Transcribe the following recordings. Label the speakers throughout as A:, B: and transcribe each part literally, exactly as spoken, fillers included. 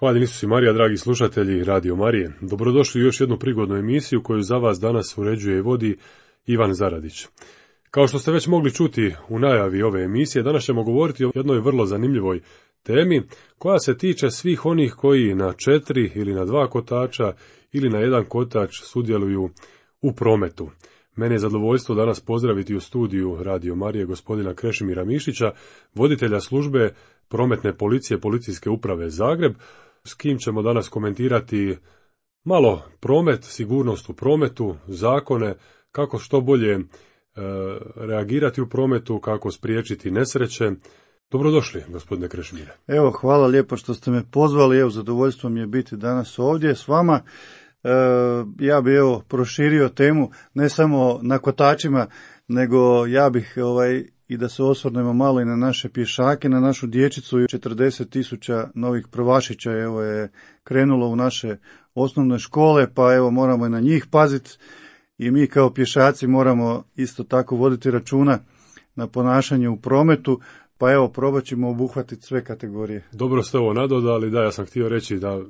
A: Hvaljeni Isus i Marija, dragi slušatelji Radio Marije. Dobrodošli u još jednu prigodnu emisiju koju za vas danas uređuje i vodi Ivan Zaradić. Kao što ste već mogli čuti u najavi ove emisije, danas ćemo govoriti o jednoj vrlo zanimljivoj temi koja se tiče svih onih koji na četiri ili na dva kotača ili na jedan kotač sudjeluju u prometu. Mene je zadovoljstvo danas pozdraviti u studiju Radio Marije gospodina Krešimira Mišića, voditelja službe prometne policije Policijske uprave Zagreb, s kim ćemo danas komentirati malo promet, sigurnost u prometu, zakone, kako što bolje e, reagirati u prometu, kako spriječiti nesreće. Dobrodošli, gospodine Krešimire.
B: Evo, hvala lijepo što ste me pozvali, evo, zadovoljstvo mi je biti danas ovdje s vama. E, ja bih evo proširio temu ne samo na kotačima, nego ja bih ovaj i da se osvrnemo malo i na naše pješake, na našu dječicu. četrdeset tisuća novih prvašića evo je krenulo u naše osnovne škole, pa evo moramo i na njih paziti i mi kao pješaci moramo isto tako voditi računa na ponašanje u prometu, pa evo probat ćemo obuhvatiti sve kategorije.
A: Dobro ste ovo nadodali, da, ja sam htio reći da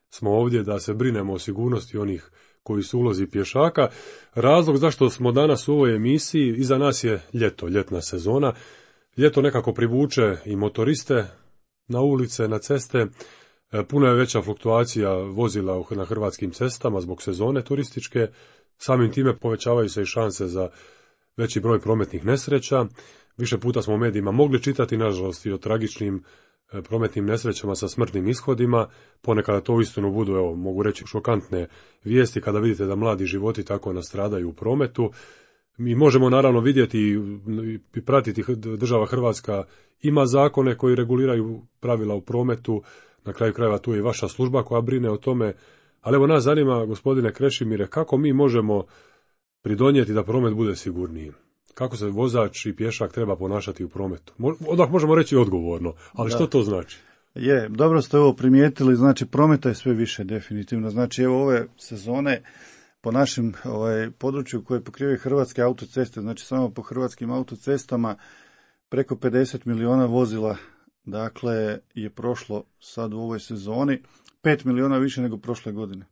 A: smo ovdje da se brinemo o sigurnosti onih koji su ulozi pješaka. Razlog zašto smo danas u ovoj emisiji, iza nas je ljeto, ljetna sezona. Ljeto nekako privuče i motoriste na ulice, na ceste. Puno je veća fluktuacija vozila na hrvatskim cestama zbog sezone turističke. Samim time povećavaju se i šanse za veći broj prometnih nesreća. Više puta smo u medijima mogli čitati, nažalost, i o tragičnim prometnim nesrećama sa smrtnim ishodima. Ponekada to uistinu budu, evo, mogu reći, šokantne vijesti kada vidite da mladi životi tako nastradaju u prometu. Mi možemo naravno vidjeti i pratiti, država Hrvatska ima zakone koji reguliraju pravila u prometu, na kraju krajeva tu je i vaša služba koja brine o tome, ali evo nas zanima, gospodine Krešimire, kako mi možemo pridonijeti da promet bude sigurniji? Kako se vozač i pješak treba ponašati u prometu? Odmah možemo reći odgovorno, ali da. Što to znači?
B: Je, dobro ste ovo primijetili, znači prometa je sve više definitivno. Znači evo ove sezone po našem ovaj, području koje pokrivaju Hrvatske autoceste, znači samo po hrvatskim autocestama preko pedeset milijuna vozila dakle je prošlo sad u ovoj sezoni, pet milijuna više nego prošle godine.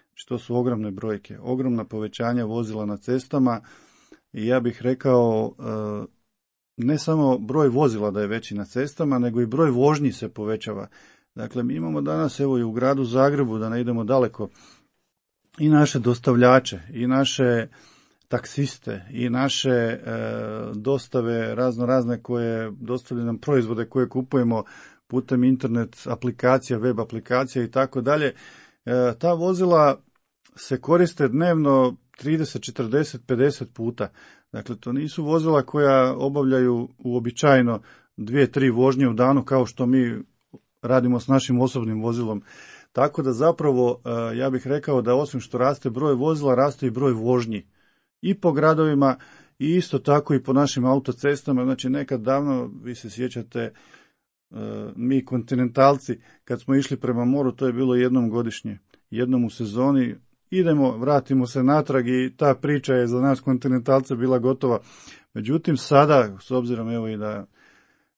B: Znači to su ogromne brojke, ogromna povećanja vozila na cestama. I ja bih rekao, ne samo broj vozila da je veći na cestama, nego i broj vožnji se povećava. Dakle, mi imamo danas, evo i u gradu Zagrebu, da ne idemo daleko, i naše dostavljače, i naše taksiste, i naše e, dostave razno razne koje dostavljaju nam proizvode koje kupujemo putem internet aplikacija, web aplikacija i tako dalje. Ta vozila se koriste dnevno trideset, četrdeset, pedeset puta. Dakle, to nisu vozila koja obavljaju uobičajeno dvije, tri vožnje u danu kao što mi radimo s našim osobnim vozilom. Tako da zapravo ja bih rekao da osim što raste broj vozila, raste i broj vožnji. I po gradovima i isto tako i po našim autocestama. Znači nekad davno, vi se sjećate, mi kontinentalci kad smo išli prema moru, to je bilo jednom godišnje, jednom u sezoni. Idemo, vratimo se natrag i ta priča je za nas kontinentalce bila gotova. Međutim, sada, s obzirom evo i da,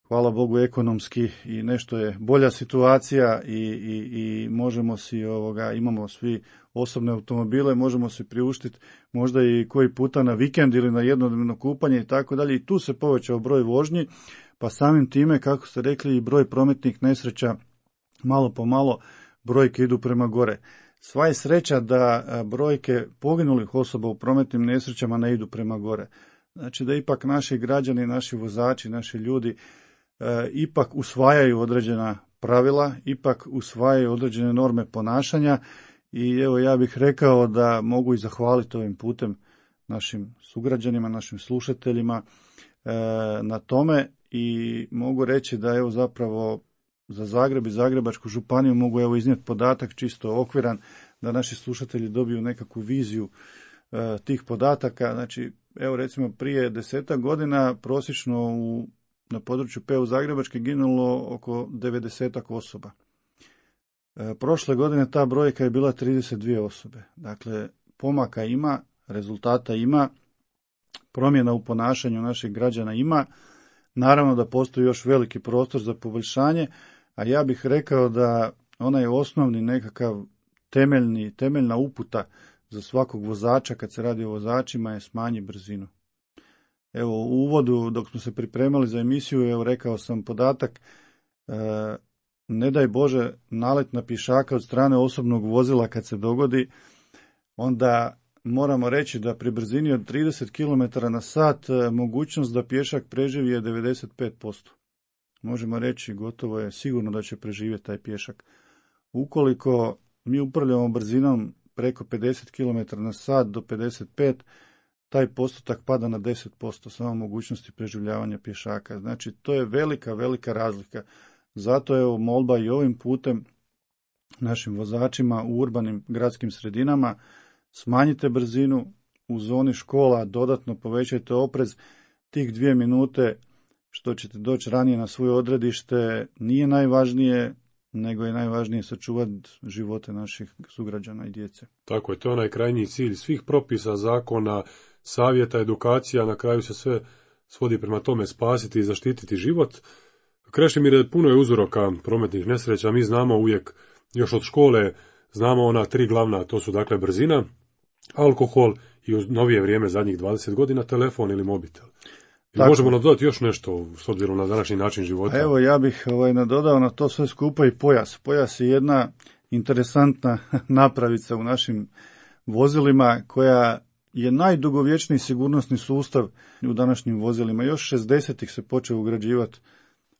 B: hvala Bogu, ekonomski i nešto je bolja situacija i, i, i možemo si, ovoga, imamo svi osobne automobile, možemo si priuštiti možda i koji puta na vikend ili na jednodnevno kupanje i tako dalje. I tu se povećao broj vožnji, pa samim time, kako ste rekli, i broj prometnih nesreća malo po malo brojke idu prema gore. Sva je sreća da brojke poginulih osoba u prometnim nesrećama ne idu prema gore. Znači da ipak naši građani, naši vozači, naši ljudi e, ipak usvajaju određena pravila, ipak usvajaju određene norme ponašanja i evo ja bih rekao da mogu i zahvaliti ovim putem našim sugrađanima, našim slušateljima e, na tome i mogu reći da evo zapravo za Zagreb i Zagrebačku županiju mogu evo iznijeti podatak čisto okviran da naši slušatelji dobiju nekakvu viziju e, tih podataka. Znači, evo recimo prije desetak godina prosječno u, na području P U Zagrebačke ginulo oko devedesetak osoba. E, prošle godine ta brojka je bila trideset dvije osobe. Dakle, pomaka ima, rezultata ima, promjena u ponašanju naših građana ima. Naravno da postoji još veliki prostor za poboljšanje, a ja bih rekao da onaj osnovni nekakav temeljni, temeljna uputa za svakog vozača kad se radi o vozačima je smanji brzinu. Evo u uvodu dok smo se pripremali za emisiju, evo rekao sam podatak, e, ne daj Bože nalet na pješaka od strane osobnog vozila kad se dogodi, onda moramo reći da pri brzini od trideset kilometara na sat e, mogućnost da pješak preživi je devedeset pet posto. Možemo reći gotovo je sigurno da će preživjeti taj pješak. Ukoliko mi upravljamo brzinom preko pedeset kilometara na sat do pedeset pet, taj postotak pada na deset posto samo mogućnosti preživljavanja pješaka. Znači, to je velika, velika razlika. Zato je molba i ovim putem našim vozačima u urbanim gradskim sredinama, smanjite brzinu, u zoni škola dodatno povećajte oprez, tih dvije minute što ćete doći ranije na svoje odredište nije najvažnije, nego je najvažnije sačuvati živote naših sugrađana i djece.
A: Tako je, to je onaj krajnji cilj svih propisa, zakona, savjeta, edukacija, na kraju se sve svodi prema tome spasiti i zaštititi život. Krešimir, puno je uzroka prometnih nesreća, mi znamo uvijek, još od škole, znamo ona tri glavna, to su dakle brzina, alkohol i u novije vrijeme, zadnjih dvadeset godina, telefon ili mobitel. Tako. Možemo nadodati još nešto s obzirom na današnji način života?
B: Evo, ja bih ovaj, nadodao na to sve skupa i pojas. Pojas je jedna interesantna napravica u našim vozilima koja je najdugovječniji sigurnosni sustav u današnjim vozilima. Još šezdesetih se počeo ugrađivati,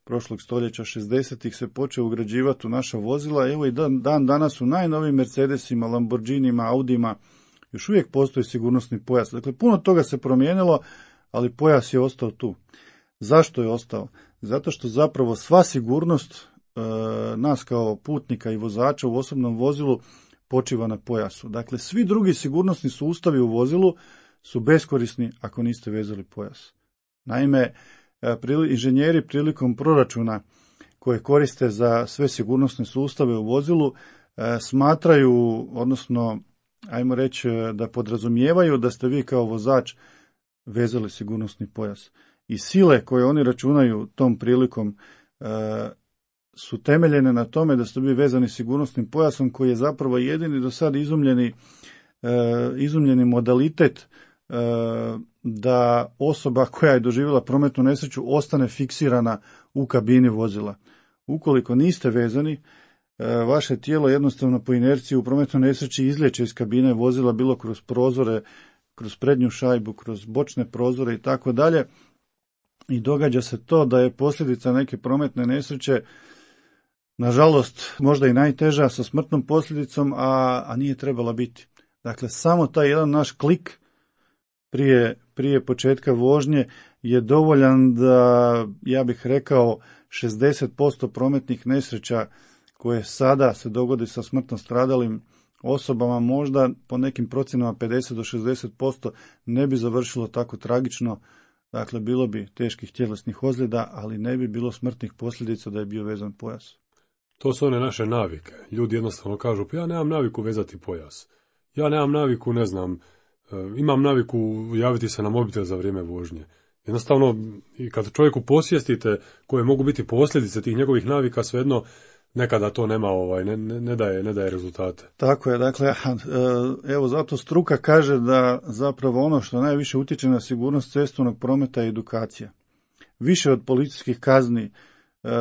B: prošlog stoljeća šezdesetih se počeo ugrađivati u naša vozila. Evo i dan, dan danas u najnovijim Mercedesima, Lamborghinima, Audima još uvijek postoji sigurnosni pojas. Dakle, puno toga se promijenilo, ali pojas je ostao tu. Zašto je ostao? Zato što zapravo sva sigurnost e, nas kao putnika i vozača u osobnom vozilu počiva na pojasu. Dakle, svi drugi sigurnosni sustavi u vozilu su beskorisni ako niste vezali pojas. Naime, prili, inženjeri prilikom proračuna koje koriste za sve sigurnosne sustave u vozilu e, smatraju, odnosno, ajmo reći da podrazumijevaju da ste vi kao vozač vezali sigurnosni pojas. I sile koje oni računaju tom prilikom e, su temeljene na tome da ste bili vezani sigurnosnim pojasom koji je zapravo jedini do sad izumljeni, e, izumljeni modalitet e, da osoba koja je doživjela prometnu nesreću ostane fiksirana u kabini vozila. Ukoliko niste vezani, e, vaše tijelo jednostavno po inerciji u prometnoj nesreći izlijeće iz kabine vozila bilo kroz prozore, kroz prednju šajbu, kroz bočne prozore i tako dalje. I događa se to da je posljedica neke prometne nesreće, nažalost, možda i najteža sa smrtnom posljedicom, a, a nije trebala biti. Dakle, samo taj jedan naš klik prije, prije početka vožnje je dovoljan da, ja bih rekao, šezdeset posto prometnih nesreća koje sada se dogodi sa smrtno stradalim osobama, možda po nekim procjenama pedeset do šezdeset posto ne bi završilo tako tragično. Dakle, bilo bi teških tjelesnih ozljeda, ali ne bi bilo smrtnih posljedica da je bio vezan pojas.
A: To su one naše navike. Ljudi jednostavno kažu, pa ja nemam naviku vezati pojas. Ja nemam naviku, ne znam, imam naviku javiti se na mobitel za vrijeme vožnje. Jednostavno, i kad čovjeku posvijestite koje mogu biti posljedice tih njegovih navika, svejedno nekada to nema, ovaj, ne, ne, daje, ne daje rezultate.
B: Tako je, dakle, evo zato struka kaže da zapravo ono što najviše utječe na sigurnost cestovnog prometa je edukacija. Više od policijskih kazni,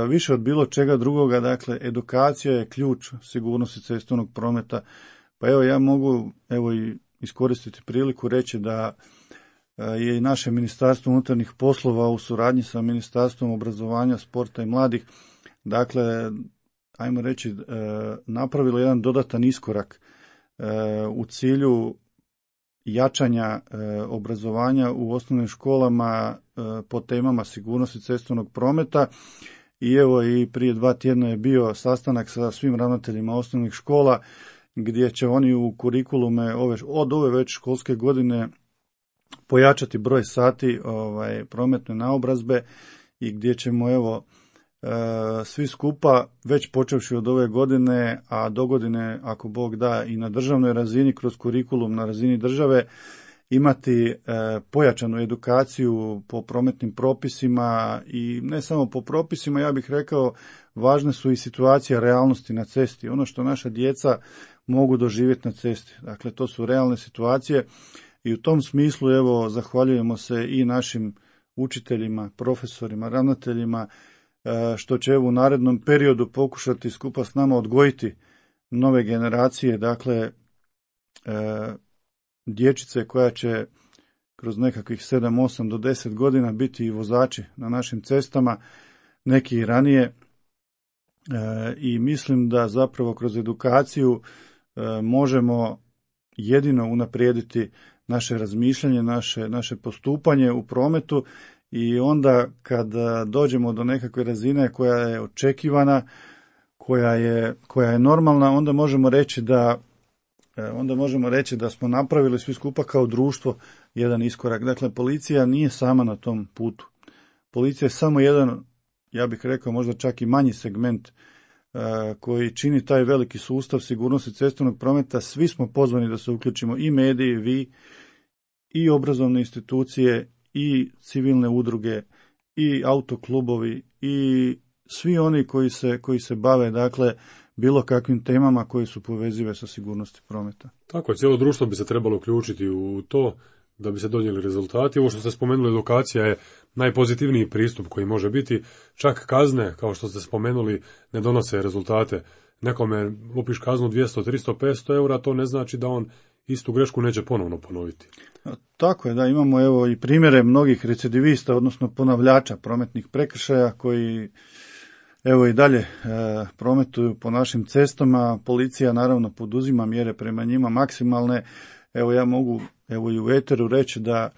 B: više od bilo čega drugoga, dakle, edukacija je ključ sigurnosti cestovnog prometa. Pa evo ja mogu evo i iskoristiti priliku reći da je i naše Ministarstvo unutarnjih poslova u suradnji sa Ministarstvom obrazovanja, sporta i mladih, dakle, ajmo reći, napravilo jedan dodatan iskorak u cilju jačanja obrazovanja u osnovnim školama po temama sigurnosti cestovnog prometa. I evo i prije dva tjedna je bio sastanak sa svim ravnateljima osnovnih škola gdje će oni u kurikulume ove, od ove već školske godine pojačati broj sati ovaj, prometne naobrazbe i gdje ćemo evo e, svi skupa već počevši od ove godine, a do godine ako Bog da i na državnoj razini kroz kurikulum na razini države imati e, pojačanu edukaciju po prometnim propisima i ne samo po propisima, ja bih rekao važne su i situacije realnosti na cesti, ono što naša djeca mogu doživjeti na cesti. Dakle, to su realne situacije i u tom smislu, evo, zahvaljujemo se i našim učiteljima, profesorima, ravnateljima, što će evo u narednom periodu pokušati skupa s nama odgojiti nove generacije, dakle, dječice koja će kroz nekakvih sedam, osam do deset godina biti i vozači na našim cestama, neki i ranije. E, I mislim da zapravo kroz edukaciju e, možemo jedino unaprijediti naše razmišljanje, naše, naše postupanje u prometu i onda kad dođemo do nekakve razine koja je očekivana, koja je, koja je normalna, onda možemo reći da onda možemo reći da smo napravili svi skupa kao društvo jedan iskorak. Dakle, policija nije sama na tom putu. Policija je samo jedan, ja bih rekao, možda čak i manji segment uh, koji čini taj veliki sustav sigurnosti cestovnog prometa. Svi smo pozvani da se uključimo, i mediji, vi, i obrazovne institucije, i civilne udruge, i autoklubovi, i svi oni koji se, koji se bave, dakle, bilo kakvim temama koje su povezive sa sigurnosti prometa.
A: Tako je, cijelo društvo bi se trebalo uključiti u to da bi se donijeli rezultati. Ovo što ste spomenuli, edukacija je najpozitivniji pristup koji može biti. Čak kazne, kao što ste spomenuli, ne donose rezultate. Nekome lupiš kaznu dvjesto, tristo, petsto eura, to ne znači da on istu grešku neće ponovno ponoviti.
B: Tako je, da, imamo evo i primjere mnogih recidivista, odnosno ponavljača prometnih prekršaja koji evo i dalje e, prometuju po našim cestama. Policija naravno poduzima mjere prema njima maksimalne. Evo ja mogu evo i u eteru reći da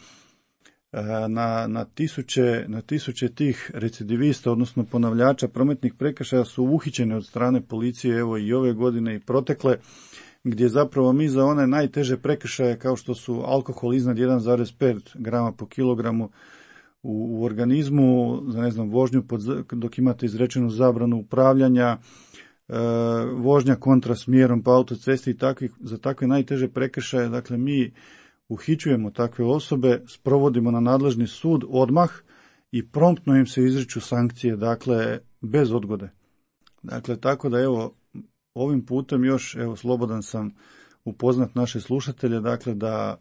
B: e, na, na, tisuće, na tisuće tih recidivista, odnosno ponavljača prometnih prekršaja su uhićene od strane policije evo i ove godine i protekle, gdje zapravo mi za one najteže prekršaje kao što su alkohol iznad jedan zarez pet grama po kilogramu u organizmu, za ne znam, vožnju pod, dok imate izrečenu zabranu upravljanja, e, vožnja kontra smjerom po autocesti i takvih, za takve najteže prekršaje, dakle mi uhićujemo takve osobe, sprovodimo na nadležni sud odmah i promptno im se izriču sankcije, dakle bez odgode. Dakle, tako da evo ovim putem još evo slobodan sam upoznat naše slušatelje, dakle da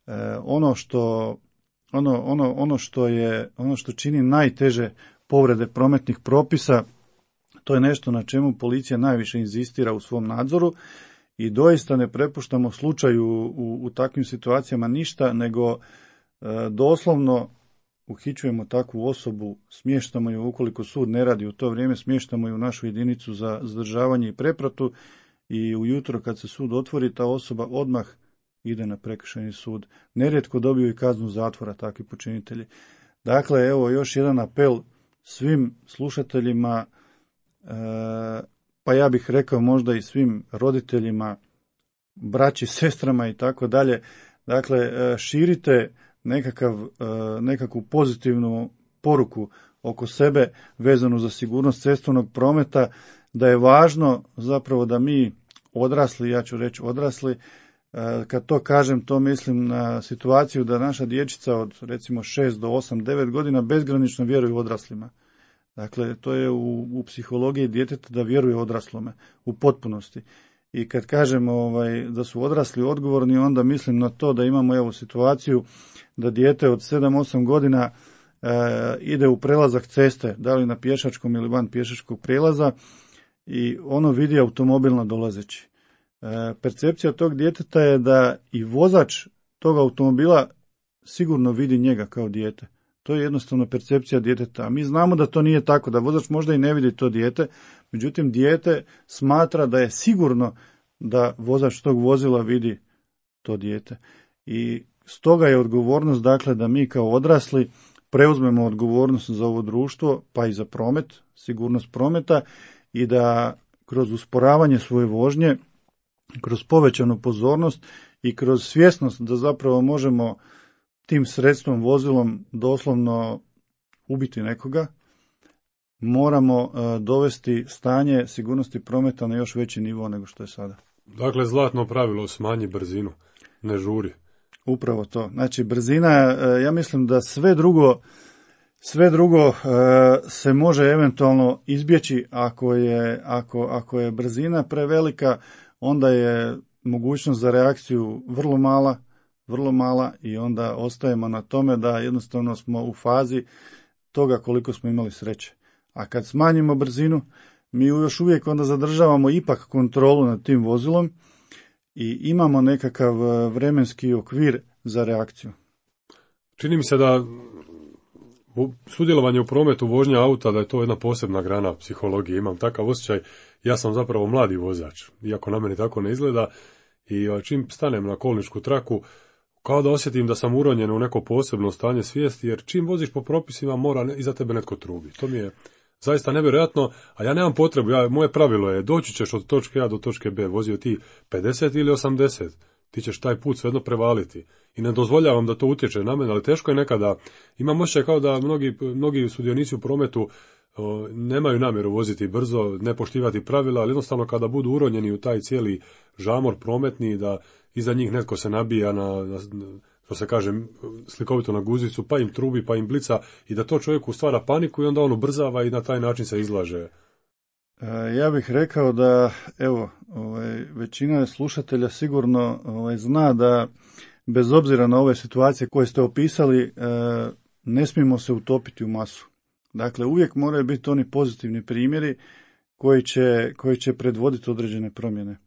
B: e, ono što Ono, ono, ono, što je, ono što čini najteže povrede prometnih propisa, to je nešto na čemu policija najviše inzistira u svom nadzoru i doista ne prepuštamo slučaju u, u takvim situacijama ništa, nego e, doslovno uhićujemo takvu osobu, smještamo ju ukoliko sud ne radi u to vrijeme, smještamo ju u našu jedinicu za zadržavanje i prepratu i ujutro kad se sud otvori, ta osoba odmah ide na prekršajni sud. Nerijetko dobiju i kaznu zatvora takvi počinitelji. Dakle, evo još jedan apel svim slušateljima, e, pa ja bih rekao možda i svim roditeljima, braći, sestrama i tako dalje. Dakle, širite nekakav, nekakvu pozitivnu poruku oko sebe vezanu za sigurnost cestovnog prometa, da je važno zapravo da mi odrasli, ja ću reći odrasli, kad to kažem, to mislim na situaciju da naša dječica od recimo šest do osam, devet godina bezgranično vjeruju odraslima. Dakle, to je u, u psihologiji djeteta da vjeruje odraslome u potpunosti. I kad kažemo ovaj, da su odrasli odgovorni, onda mislim na to da imamo evo situaciju da dijete od sedam osam godina e, ide u prelazak ceste, da li na pješačkom ili van pješačkog prelaza, i ono vidi automobil nadolazeći. E, percepcija tog djeteta je da i vozač tog automobila sigurno vidi njega kao dijete. To je jednostavno percepcija djeteta. A mi znamo da to nije tako, da vozač možda i ne vidi to dijete, međutim dijete smatra da je sigurno da vozač tog vozila vidi to dijete. I stoga je odgovornost, dakle, da mi kao odrasli preuzmemo odgovornost za ovo društvo, pa i za promet, sigurnost prometa, i da kroz usporavanje svoje vožnje, kroz povećanu pozornost i kroz svjesnost da zapravo možemo tim sredstvom, vozilom doslovno ubiti nekoga, moramo uh, dovesti stanje sigurnosti prometa na još veći nivo nego što je sada.
A: Dakle, zlatno pravilo, smanji brzinu, ne žuri.
B: Upravo to. Znači, brzina, uh, ja mislim da sve drugo Sve drugo e, se može eventualno izbjeći ako je, ako, ako je brzina prevelika, onda je mogućnost za reakciju vrlo mala, vrlo mala i onda ostajemo na tome da jednostavno smo u fazi toga koliko smo imali sreće. A kad smanjimo brzinu, mi još uvijek onda zadržavamo ipak kontrolu nad tim vozilom i imamo nekakav vremenski okvir za reakciju.
A: Čini mi se da sudjelovanje u prometu, vožnja auta, da je to jedna posebna grana psihologije. Imam takav osjećaj, ja sam zapravo mladi vozač, iako na meni tako ne izgleda, i čim stanem na kolničku traku, kao da osjetim da sam uronjen u neko posebno stanje svijesti, jer čim voziš po propisima mora iza tebe netko trubi. To mi je zaista nevjerojatno, a ja nemam potrebu, ja, moje pravilo je doći ćeš od točke A do točke B, vozio ti pedeset ili osamdeset, ti ćeš taj put svejedno prevaliti. I ne dozvoljavam da to utječe na mene, ali teško je nekada. Imam osjećaj kao da mnogi, mnogi sudionici u prometu o, nemaju namjeru voziti brzo, ne poštivati pravila, ali jednostavno kada budu uronjeni u taj cijeli žamor prometni, da iza njih netko se nabija na, na što se kaže slikovito na guzicu, pa im trubi, pa im blica, i da to čovjeku stvara paniku i onda on ubrzava i na taj način se izlaže.
B: Ja bih rekao da, evo, ovaj, većina slušatelja sigurno ovaj, zna da bez obzira na ove situacije koje ste opisali, ne smijemo se utopiti u masu. Dakle, uvijek moraju biti oni pozitivni primjeri koji će, koji će predvoditi određene promjene.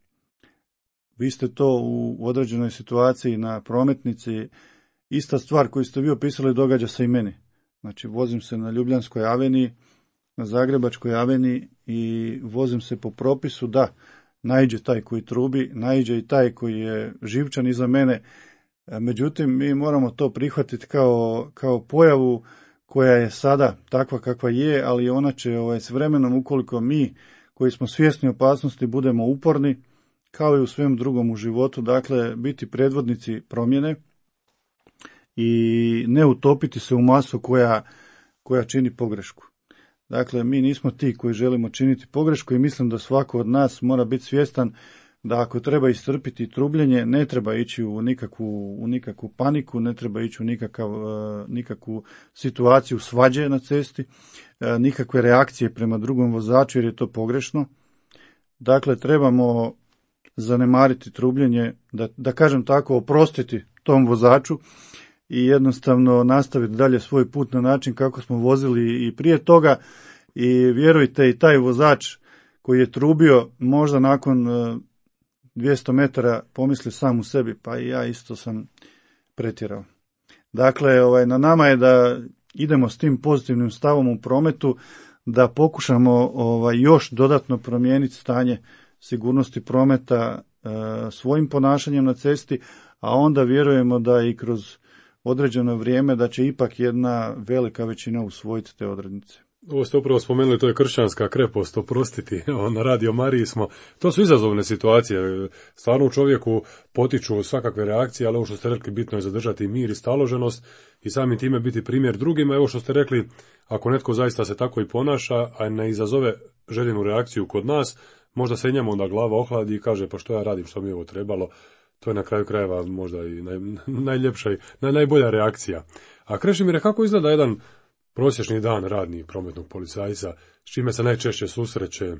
B: Vi ste to u određenoj situaciji na prometnici, ista stvar koju ste vi opisali događa se i meni. Znači, vozim se na Ljubljanskoj aveniji, na Zagrebačkoj aveniji i vozim se po propisu, da, naiđe taj koji trubi, naiđe i taj koji je živčan iza mene. Međutim, mi moramo to prihvatiti kao, kao pojavu koja je sada takva kakva je, ali ona će ovaj, s vremenom, ukoliko mi koji smo svjesni opasnosti budemo uporni, kao i u svem drugom u životu, dakle, biti predvodnici promjene i ne utopiti se u masu koja, koja čini pogrešku. Dakle, mi nismo ti koji želimo činiti pogrešku i mislim da svako od nas mora biti svjestan da ako treba istrpiti trubljenje, ne treba ići u nikakvu, u nikakvu paniku, ne treba ići u nikakav, nikakvu situaciju svađe na cesti, nikakve reakcije prema drugom vozaču jer je to pogrešno. Dakle, trebamo zanemariti trubljenje, da, da kažem tako, oprostiti tom vozaču i jednostavno nastaviti dalje svoj put na način kako smo vozili i prije toga. I vjerujte, i taj vozač koji je trubio možda nakon dvjesto metara pomisli sam u sebi, pa i ja isto sam pretjerao. Dakle, ovaj, na nama je da idemo s tim pozitivnim stavom u prometu, da pokušamo ovaj, još dodatno promijeniti stanje sigurnosti prometa e, svojim ponašanjem na cesti, a onda vjerujemo da i kroz određeno vrijeme da će ipak jedna velika većina usvojiti te odrednice.
A: Ovo ste upravo spomenuli, to je kršćanska krepost, oprostiti, na Radio Mariji smo, to su izazovne situacije, stvarno u čovjeku potiču svakakve reakcije, ali ovo što ste rekli, bitno je zadržati mir i staloženost i samim time biti primjer drugima. Evo što ste rekli, ako netko zaista se tako i ponaša, a ne izazove željenu reakciju kod nas, možda se njemu onda glava ohladi i kaže, pa što ja radim, što mi je ovo trebalo. To je na kraju krajeva možda i naj, najljepša i naj, najbolja reakcija. A Krešimire, kako izgleda jedan prosječni dan radni prometnog policajca, s čime se najčešće susreće?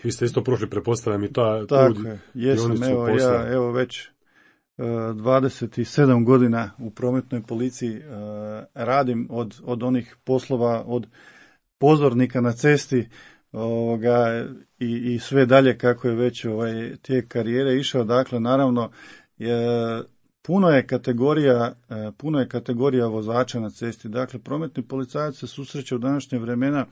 A: Vi ste isto prošli, pretpostavljam, i ta
B: Tako je, jesam, evo,
A: posla.
B: ja, evo već uh, dvadeset sedam godina u prometnoj policiji uh, radim od, od onih poslova, od pozornika na cesti, ovoga, i, i sve dalje kako je već ovaj tijek karijere išao. Dakle, naravno, je, puno je kategorija, puno je kategorija vozača na cesti. Dakle, prometni policajac se susreće u današnje vremena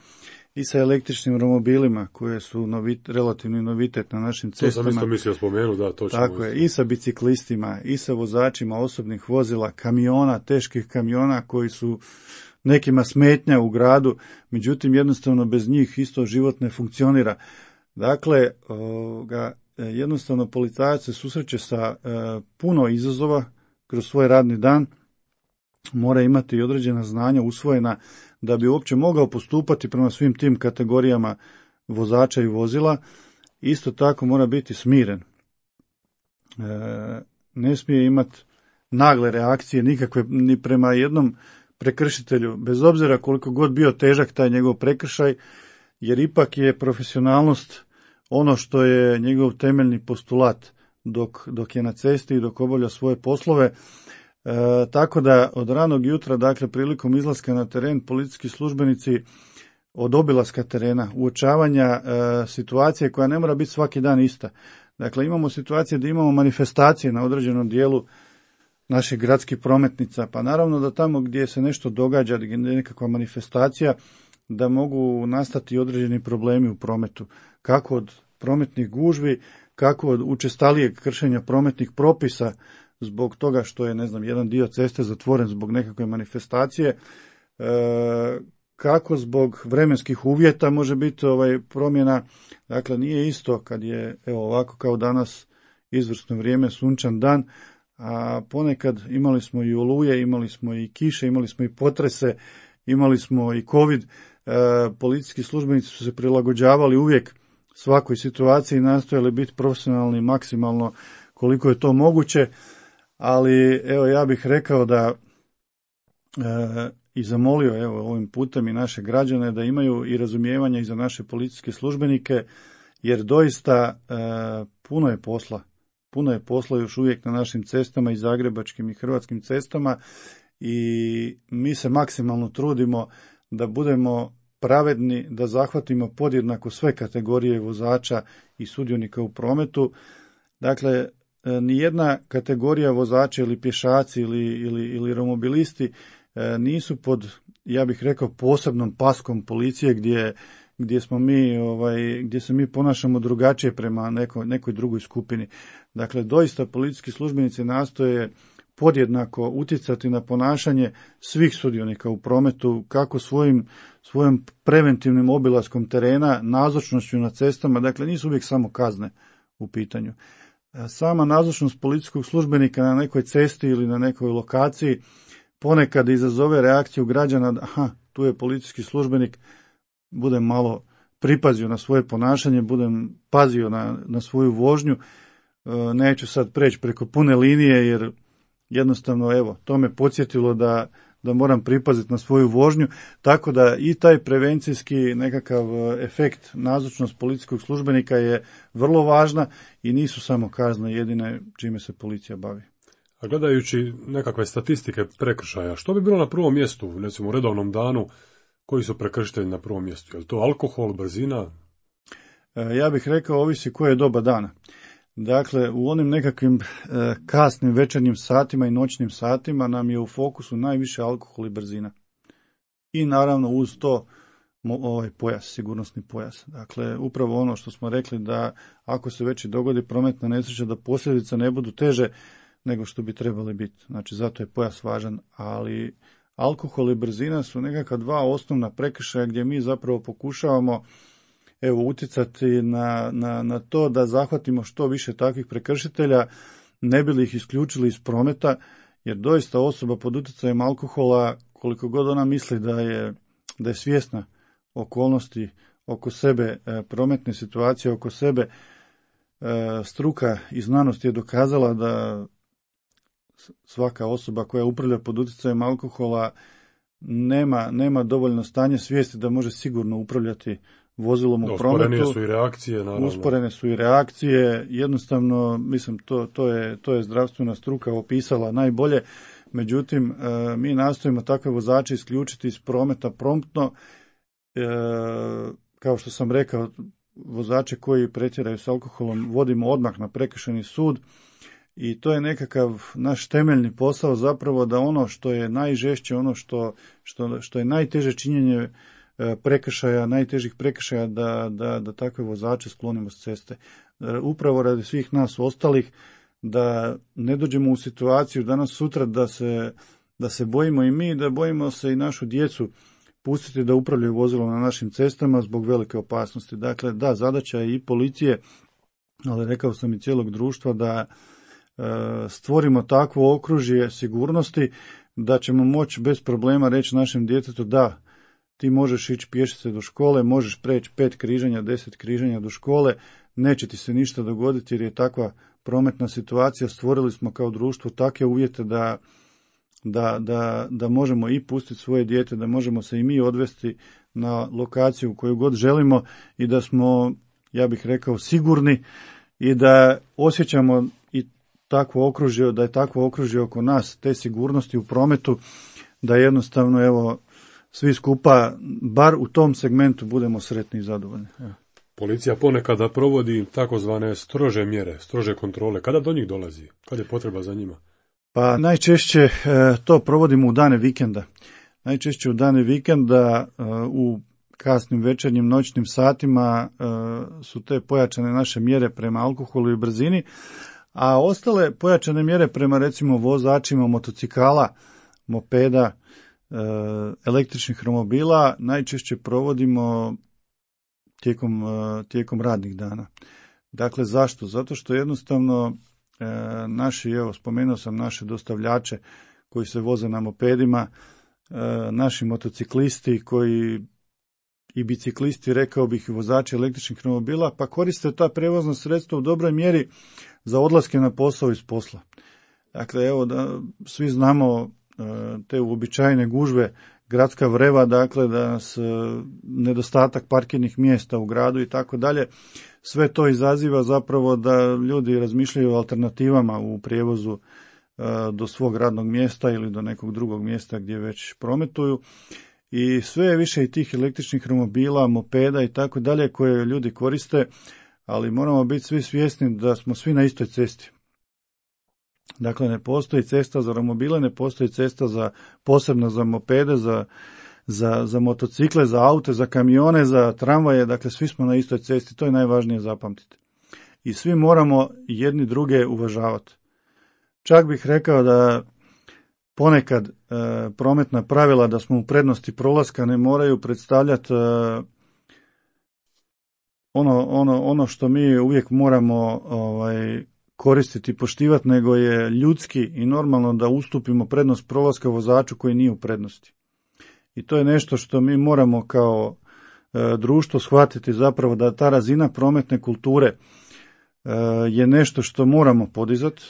B: i sa električnim romobilima koje su novit, relativni novitet na našim cestama.
A: To sam isto mislio spomenu, da, točno.
B: Tako je, i sa biciklistima, i sa vozačima osobnih vozila, kamiona, teških kamiona koji su nekima smetnja u gradu, međutim jednostavno bez njih isto život ne funkcionira. Dakle, ovoga, jednostavno policajac se susreće sa e, puno izazova kroz svoj radni dan, mora imati i određena znanja usvojena da bi uopće mogao postupati prema svim tim kategorijama vozača i vozila. Isto tako mora biti smiren. E, ne smije imati nagle reakcije nikakve ni prema jednom prekršitelju, bez obzira koliko god bio težak taj njegov prekršaj, jer ipak je profesionalnost ono što je njegov temeljni postulat dok, dok je na cesti i dok obavlja svoje poslove. E, tako da od ranog jutra, dakle prilikom izlaska na teren, policijski službenici od obilaska terena, uočavanja e, situacije koja ne mora biti svaki dan ista. Dakle, imamo situacije da imamo manifestacije na određenom dijelu naših gradskih prometnica, pa naravno da tamo gdje se nešto događa, gdje je nekakva manifestacija, da mogu nastati određeni problemi u prometu, kako od prometnih gužvi, kako od učestalijeg kršenja prometnih propisa zbog toga što je, ne znam, jedan dio ceste zatvoren zbog nekakve manifestacije, e, kako zbog vremenskih uvjeta može biti ovaj promjena. Dakle, nije isto kad je, evo ovako kao danas, izvrsno vrijeme, sunčan dan, a ponekad imali smo i oluje, imali smo i kiše, imali smo i potrese, imali smo i covid. E, policijski službenici su se prilagođavali uvijek svakoj situaciji i nastojali biti profesionalni maksimalno koliko je to moguće, ali evo ja bih rekao da e, i zamolio evo ovim putem i naše građane da imaju i razumijevanja i za naše policijske službenike, jer doista e, puno je posla. Puno je posla još uvijek na našim cestama i zagrebačkim i hrvatskim cestama i mi se maksimalno trudimo da budemo pravedni, da zahvatimo podjednako sve kategorije vozača i sudionika u prometu. Dakle, nijedna kategorija vozača ili pješaci ili, ili, ili romobilisti nisu pod, ja bih rekao, posebnom paskom policije gdje, gdje smo mi, ovaj, gdje se mi ponašamo drugačije prema nekoj, nekoj drugoj skupini. Dakle, doista policijski službenici nastoje podjednako utjecati na ponašanje svih sudionika u prometu, kako svojim, svojim preventivnim obilaskom terena, nazočnošću na cestama, dakle nisu uvijek samo kazne u pitanju. Sama nazočnost policijskog službenika na nekoj cesti ili na nekoj lokaciji ponekad izazove reakciju građana, aha, tu je policijski službenik, budem malo pripazio na svoje ponašanje, budem pazio na, na svoju vožnju, neću sad preći preko pune linije jer jednostavno, evo, to me podsjetilo da, da moram pripaziti na svoju vožnju, tako da i taj prevencijski nekakav efekt, nazočnost policijskog službenika je vrlo važna i nisu samo kazne jedine čime se policija bavi.
A: A gledajući nekakve statistike prekršaja, što bi bilo na prvom mjestu, recimo u redovnom danu, koji su prekršitelji na prvom mjestu? Je li to alkohol, brzina?
B: Ja bih rekao, ovisi koje je doba dana. Dakle, u onim nekakvim e, kasnim večernjim satima i noćnim satima nam je u fokusu najviše alkohol i brzina. I naravno uz to ovaj pojas, sigurnosni pojas. Dakle, upravo ono što smo rekli da ako se već i dogodi prometna nesreća, da posljedice ne budu teže nego što bi trebali biti. Znači, zato je pojas važan, ali alkohol i brzina su nekakva dva osnovna prekršaja gdje mi zapravo pokušavamo evo utjecati na, na, na to da zahvatimo što više takvih prekršitelja, ne bi li ih isključili iz prometa, jer doista osoba pod utjecajem alkohola, koliko god ona misli da je, da je svjesna okolnosti oko sebe, prometne situacije oko sebe, struka i znanost je dokazala da svaka osoba koja upravlja pod utjecajem alkohola nema, nema dovoljno stanje svijesti da može sigurno upravljati vozilom u prometu.
A: Usporene su i reakcije, naravno.
B: Usporene su i reakcije, jednostavno, mislim, to, to, je, to je zdravstvena struka opisala najbolje, međutim, e, mi nastojimo takve vozače isključiti iz prometa promptno, e, kao što sam rekao, vozače koji pretjeraju s alkoholom vodimo odmah na prekršajni sud i to je nekakav naš temeljni posao zapravo da ono što je najžešće, ono što, što, što je najteže činjenje prekršaja, najtežih prekršaja da, da, da takve vozače sklonimo s ceste. Upravo radi svih nas ostalih da ne dođemo u situaciju danas sutra da se, da se bojimo i mi, da bojimo se i našu djecu pustiti da upravljaju vozilom na našim cestama zbog velike opasnosti. Dakle, da, zadaća je i policije, ali rekao sam i cijelog društva da e, stvorimo takvo okružje sigurnosti da ćemo moći bez problema reći našem djetetu da, ti možeš ići pješice do škole, možeš preći pet križanja, deset križanja do škole, neće ti se ništa dogoditi jer je takva prometna situacija, stvorili smo kao društvo takve uvjete da, da, da, da možemo i pustiti svoje dijete, da možemo se i mi odvesti na lokaciju koju god želimo i da smo, ja bih rekao, sigurni i da osjećamo i takvo okružje, da je takvo okružje oko nas, te sigurnosti u prometu, da jednostavno, evo, svi skupa, bar u tom segmentu, budemo sretni i zadovoljni. Evo.
A: Policija ponekada provodi takozvane strože mjere, strože kontrole. Kada do njih dolazi? Kada je potreba za njima?
B: Pa najčešće e, to provodimo u dane vikenda. Najčešće u dane vikenda e, u kasnim večernjim noćnim satima e, su te pojačane naše mjere prema alkoholu i brzini, a ostale pojačane mjere prema recimo vozačima motocikala, mopeda, e, električnih romobila najčešće provodimo tijekom, e, tijekom radnih dana. Dakle, zašto? Zato što jednostavno e, naši, evo, spomenuo sam naše dostavljače koji se voze na mopedima, e, naši motociklisti koji i biciklisti, rekao bih, i vozači električnih romobila, pa koriste ta prevozna sredstva u dobroj mjeri za odlaske na posao iz posla. Dakle, evo, da svi znamo e, te uobičajene gužve, gradska vreva, dakle, da nas e, nedostatak parkirnih mjesta u gradu i tako dalje, sve to izaziva zapravo da ljudi razmišljaju o alternativama u prijevozu e, do svog radnog mjesta ili do nekog drugog mjesta gdje već prometuju. I sve je više i tih električnih romobila, mopeda i tako dalje koje ljudi koriste, ali moramo biti svi svjesni da smo svi na istoj cesti. Dakle, ne postoji cesta za romobile, ne postoji cesta za posebno za mopede, za, za, za motocikle, za aute, za kamione, za tramvaje, dakle svi smo na istoj cesti, to je najvažnije zapamtiti. I svi moramo jedni druge uvažavati. Čak bih rekao da ponekad e, prometna pravila da smo u prednosti prolaska ne moraju predstavljati e, ono, ono, ono što mi uvijek moramo ovaj, koristiti i poštivati, nego je ljudski i normalno da ustupimo prednost prolaska vozaču koji nije u prednosti. I to je nešto što mi moramo kao e, društvo shvatiti zapravo, da ta razina prometne kulture e, je nešto što moramo podizati.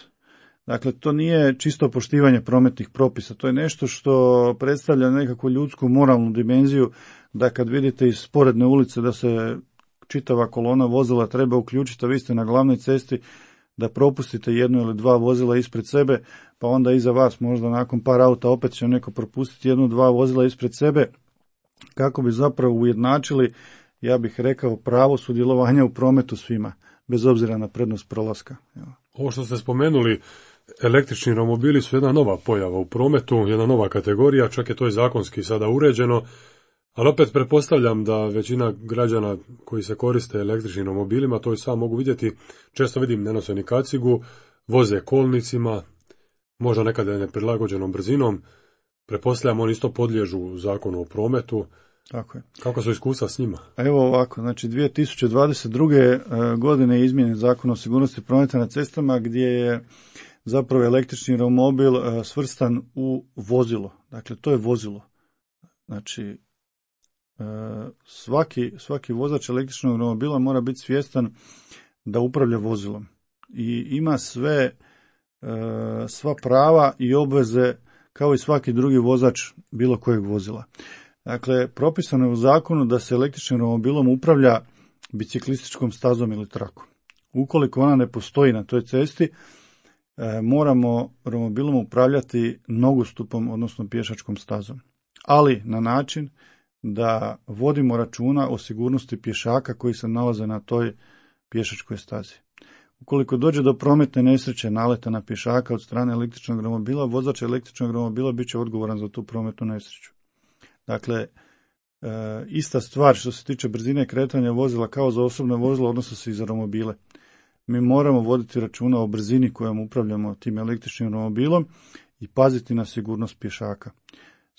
B: Dakle, to nije čisto poštivanje prometnih propisa, to je nešto što predstavlja nekakvu ljudsku moralnu dimenziju, da kad vidite iz sporedne ulice da se čitava kolona vozila treba uključiti, a vi ste na glavnoj cesti, da propustite jedno ili dva vozila ispred sebe, pa onda iza vas možda nakon par auta opet će neko propustiti jedno, dva vozila ispred sebe, kako bi zapravo ujednačili, ja bih rekao, pravo sudjelovanja u prometu svima, bez obzira na prednost prolaska. Evo.
A: Ovo što ste spomenuli, električni romobili su jedna nova pojava u prometu, jedna nova kategorija, čak je to i zakonski sada uređeno, ali opet pretpostavljam da većina građana koji se koriste električnim romobilima, to i sam mogu vidjeti, često vidim ne nose ni kacigu, voze kolnicima, možda nekada neprilagođenom brzinom, pretpostavljam oni isto podliježu zakonu o prometu.
B: Tako je.
A: Kako su iskustva s njima?
B: Evo ovako, znači dvije tisuće dvadeset druge godine je izmijenjen Zakon o sigurnosti prometa na cestama, gdje je zapravo električni romobil svrstan u vozilo. Dakle, to je vozilo. Znači, svaki, svaki vozač električnog romobila mora biti svjestan da upravlja vozilom i ima sve, sva prava i obveze kao i svaki drugi vozač bilo kojeg vozila. Dakle, propisano je u zakonu da se električnim romobilom upravlja biciklističkom stazom ili trakom. Ukoliko ona ne postoji na toj cesti, moramo romobilom upravljati nogostupom, odnosno pješačkom stazom. Ali na način da vodimo računa o sigurnosti pješaka koji se nalaze na toj pješačkoj stazi. Ukoliko dođe do prometne nesreće, naleta na pješaka od strane električnog romobila, vozač električnog romobila bit će odgovoran za tu prometnu nesreću. Dakle, e, ista stvar što se tiče brzine kretanja vozila kao za osobne vozila odnosi se i za romobile. Mi moramo voditi računa o brzini kojom upravljamo tim električnim romobilom i paziti na sigurnost pješaka.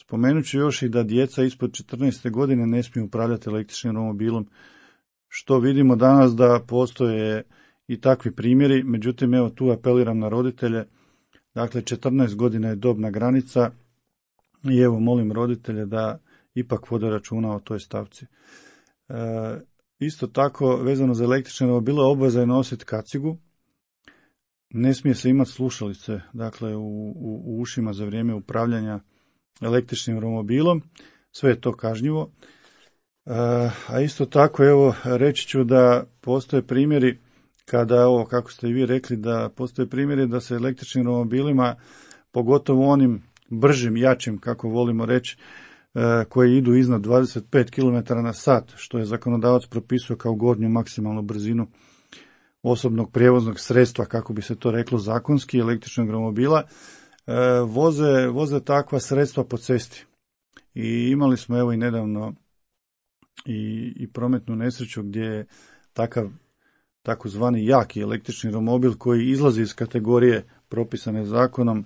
B: Spomenut ću još i da djeca ispod četrnaeste godine ne smiju upravljati električnim romobilom, što vidimo danas da postoje i takvi primjeri, međutim evo tu apeliram na roditelje, dakle četrnaest godina je dobna granica i evo molim roditelje da ipak vode računa o toj stavci. E, isto tako vezano za električne romobile obveza je nositi kacigu, ne smije se imati slušalice, dakle u, u, u ušima za vrijeme upravljanja električnim romobilom, sve je to kažnjivo. E, a isto tako, evo, reći ću da postoje primjeri kada, ovo, kako ste i vi rekli, da postoje primjeri da se električnim romobilima, pogotovo onim bržim, jačim, kako volimo reći, e, koji idu iznad dvadeset pet kilometara na sat, što je zakonodavac propisao kao gornju maksimalnu brzinu osobnog prijevoznog sredstva, kako bi se to reklo zakonski, električnog romobila, e, voze, voze takva sredstva po cesti. I imali smo evo i nedavno i, i prometnu nesreću gdje je takav takozvani jaki električni romobil koji izlazi iz kategorije propisane zakonom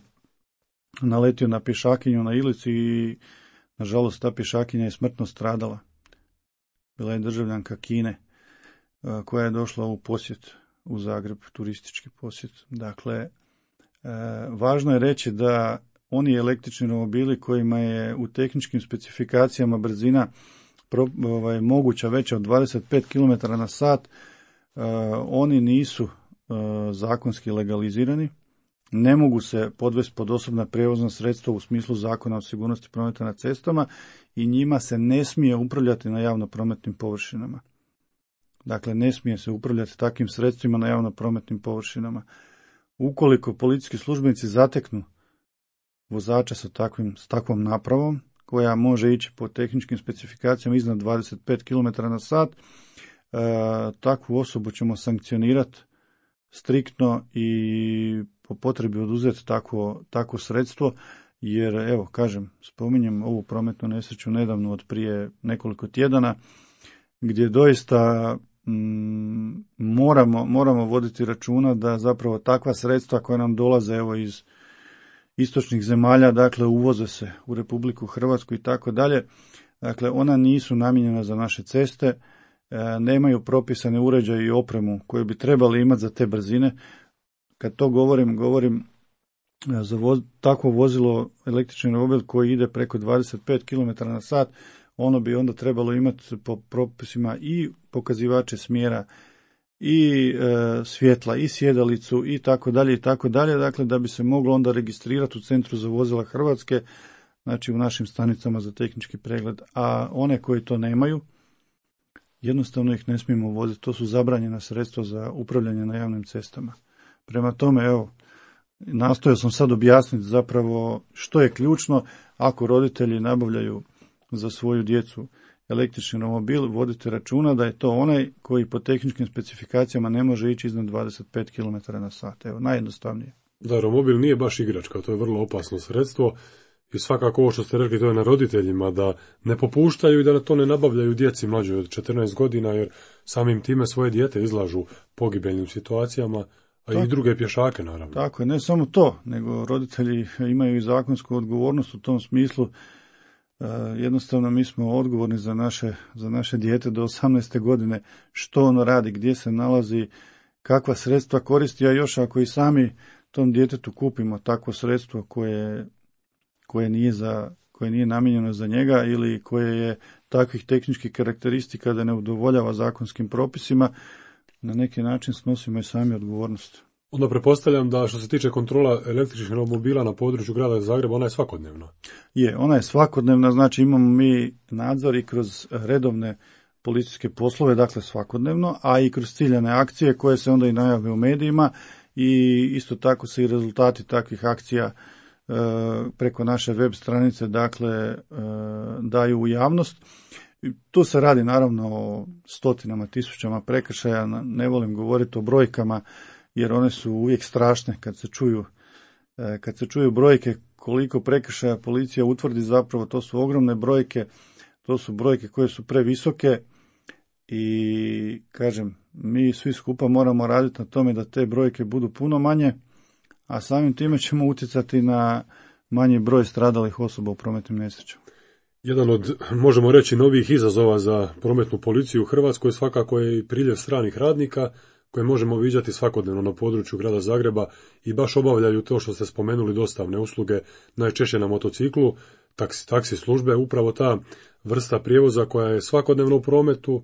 B: naletio na pješakinju na Ilici i nažalost ta pješakinja je smrtno stradala. Bila je državljanka Kine koja je došla u posjet u Zagreb, turistički posjet. Dakle, važno je reći da oni električni romobili kojima je u tehničkim specifikacijama brzina pro, ovaj, moguća veća od dvadeset pet kilometara na sat, Uh, oni nisu uh, zakonski legalizirani, ne mogu se podvesti pod osobna prijevozna sredstva u smislu Zakona o sigurnosti prometa na cestama i njima se ne smije upravljati na javno prometnim površinama. Dakle, ne smije se upravljati takvim sredstvima na javno prometnim površinama. Ukoliko policijski službenici zateknu vozača sa, takvim, s takvom napravom, koja može ići po tehničkim specifikacijama iznad dvadeset pet kilometara na sat, E, takvu osobu ćemo sankcionirati striktno i po potrebi oduzeti takvo, takvo sredstvo, jer evo, kažem, spominjem ovu prometnu nesreću nedavno od prije nekoliko tjedana, gdje doista mm, moramo, moramo voditi računa da zapravo takva sredstva koja nam dolaze evo iz istočnih zemalja, dakle uvoze se u Republiku Hrvatsku i tako dalje, dakle ona nisu namijenjena za naše ceste, nemaju propisane uređaje i opremu koje bi trebali imati za te brzine. Kad to govorim, govorim za voz, takvo vozilo, električni romobil koji ide preko dvadeset pet kilometara na sat, ono bi onda trebalo imati po propisima i pokazivače smjera, i e, svjetla, i sjedalicu, i tako dalje, i tako dalje, dakle da bi se moglo onda registrirati u Centru za vozila Hrvatske, znači u našim stanicama za tehnički pregled, a one koji to nemaju, jednostavno ih ne smijemo voziti, to su zabranjena sredstva za upravljanje na javnim cestama. Prema tome, evo, nastojao sam sad objasniti zapravo što je ključno ako roditelji nabavljaju za svoju djecu električni romobil, vodite računa da je to onaj koji po tehničkim specifikacijama ne može ići iznad dvadeset pet kilometara na sat. Evo, najjednostavnije.
A: Da, romobil nije baš igračka, to je vrlo opasno sredstvo. I svakako ovo što ste rekli, to je na roditeljima da ne popuštaju i da to ne nabavljaju djeci mlađoj od četrnaest godina, jer samim time svoje dijete izlažu pogibeljnim situacijama, a tako, i druge pješake naravno.
B: Tako je, ne samo to, nego roditelji imaju i zakonsku odgovornost u tom smislu. E, jednostavno mi smo odgovorni za naše, za naše dijete do osamnaeste godine, što ono radi, gdje se nalazi, kakva sredstva koristi, a još ako i sami tom djetetu kupimo takvo sredstvo koje koje nije, za, koje nije namijenjeno za njega ili koje je takvih tehničkih karakteristika da ne udovoljava zakonskim propisima, na neki način snosimo i sami odgovornost.
A: Onda pretpostavljam da što se tiče kontrola električnih romobila na području grada Zagreba, ona je svakodnevna.
B: Je, ona je svakodnevna, znači imamo mi nadzor i kroz redovne policijske poslove, dakle svakodnevno, a i kroz ciljane akcije koje se onda i najave u medijima i isto tako se i rezultati takvih akcija preko naše web stranice, dakle, daju u javnost. Tu se radi naravno o stotinama, tisućama prekršaja, ne volim govoriti o brojkama, jer one su uvijek strašne kad se čuju, kad se čuju brojke koliko prekršaja policija utvrdi, zapravo to su ogromne brojke, to su brojke koje su previsoke i, kažem, mi svi skupa moramo raditi na tome da te brojke budu puno manje, a samim time ćemo utjecati na manji broj stradalih osoba u prometnim nesrećama.
A: Jedan od, možemo reći, novih izazova za prometnu policiju u Hrvatskoj svakako je i priljev stranih radnika koje možemo viđati svakodnevno na području grada Zagreba i baš obavljaju to što ste spomenuli, dostavne usluge, najčešće na motociklu, taksi, taksi službe, upravo ta vrsta prijevoza koja je svakodnevno u prometu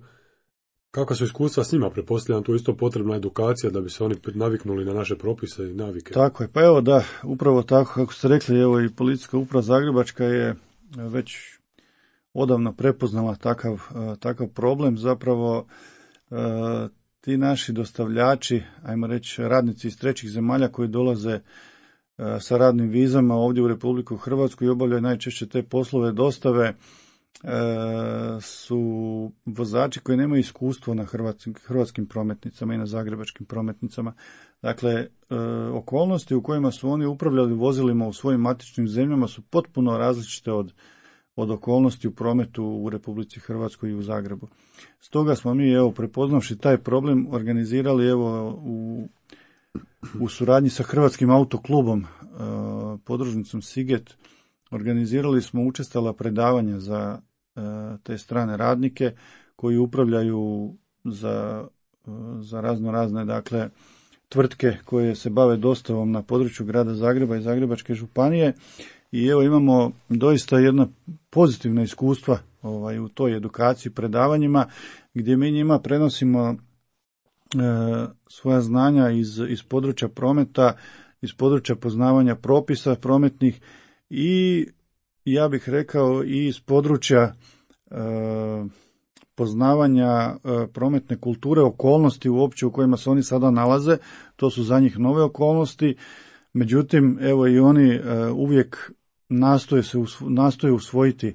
A: Kakva su iskustva s njima? Pretpostavljam, tu isto potrebna edukacija da bi se oni naviknuli na naše propise i navike.
B: Tako je, pa evo da, upravo tako kako ste rekli, evo i Policijska uprava Zagrebačka je već odavno prepoznala takav, takav problem. Zapravo ti naši dostavljači, ajmo reći radnici iz trećih zemalja koji dolaze sa radnim vizama ovdje u Republiku Hrvatsku i obavljaju najčešće te poslove dostave, su vozači koji nemaju iskustvo na hrvatskim, hrvatskim prometnicama i na zagrebačkim prometnicama. Dakle, okolnosti u kojima su oni upravljali vozilima u svojim matičnim zemljama su potpuno različite od, od okolnosti u prometu u Republici Hrvatskoj i u Zagrebu. Stoga smo mi, evo, prepoznavši taj problem, organizirali evo u, u suradnji sa Hrvatskim autoklubom, podružnicom Siget, organizirali smo učestala predavanja za te strane radnike koji upravljaju za, za razno razne, dakle, tvrtke koje se bave dostavom na području grada Zagreba i Zagrebačke županije. I evo imamo doista jedna pozitivna iskustva ovaj, u toj edukaciji, predavanjima, gdje mi njima prenosimo e, svoja znanja iz, iz područja prometa, iz područja poznavanja propisa prometnih i ja bih rekao i iz područja e, poznavanja e, prometne kulture, okolnosti uopće u kojima se oni sada nalaze. To su za njih nove okolnosti. Međutim, evo i oni e, uvijek nastoje, se usvo, nastoje usvojiti e,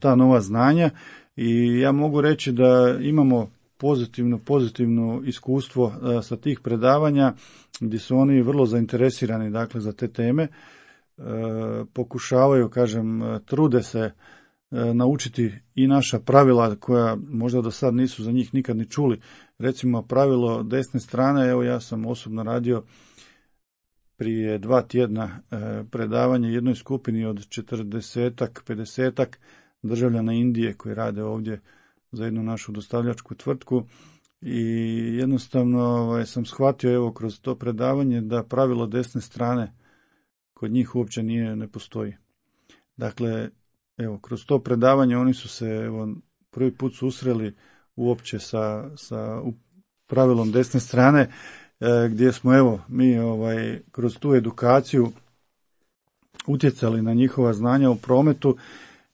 B: ta nova znanja i ja mogu reći da imamo pozitivno, pozitivno iskustvo e, sa tih predavanja gdje su oni vrlo zainteresirani, dakle, za te teme. E, pokušavaju, kažem, trude se e, naučiti i naša pravila koja možda do sad nisu za njih nikad ni čuli. Recimo pravilo desne strane, evo ja sam osobno radio prije dva tjedna e, predavanje jednoj skupini od četrdesetak, pedesetak državljana Indije koji rade ovdje za jednu našu dostavljačku tvrtku i jednostavno ovaj, sam shvatio evo kroz to predavanje da pravilo desne strane kod njih uopće nije, ne postoji. Dakle, evo, kroz to predavanje oni su se evo, prvi put susreli uopće sa, sa pravilom desne strane, e, gdje smo evo mi ovaj, kroz tu edukaciju utjecali na njihova znanja u prometu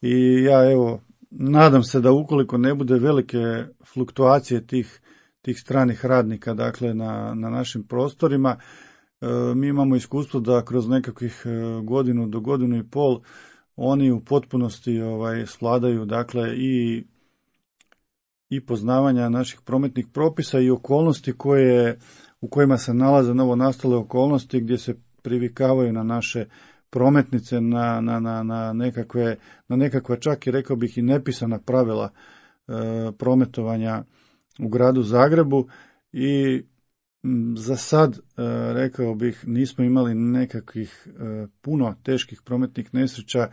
B: i ja evo nadam se da ukoliko ne bude velike fluktuacije tih, tih stranih radnika, dakle na, na našim prostorima, e, mi imamo iskustvo da kroz nekakvih godinu do godinu i pol oni u potpunosti ovaj, svladaju, dakle, i, i poznavanja naših prometnih propisa i okolnosti koje, u kojima se nalaze novo nastale okolnosti gdje se privikavaju na naše prometnice, na, na, na, na, nekakve, na nekakva čak i rekao bih i nepisana pravila e, prometovanja u gradu Zagrebu i m, za sad, e, rekao bih, nismo imali nekakvih e, puno teških prometnih nesreća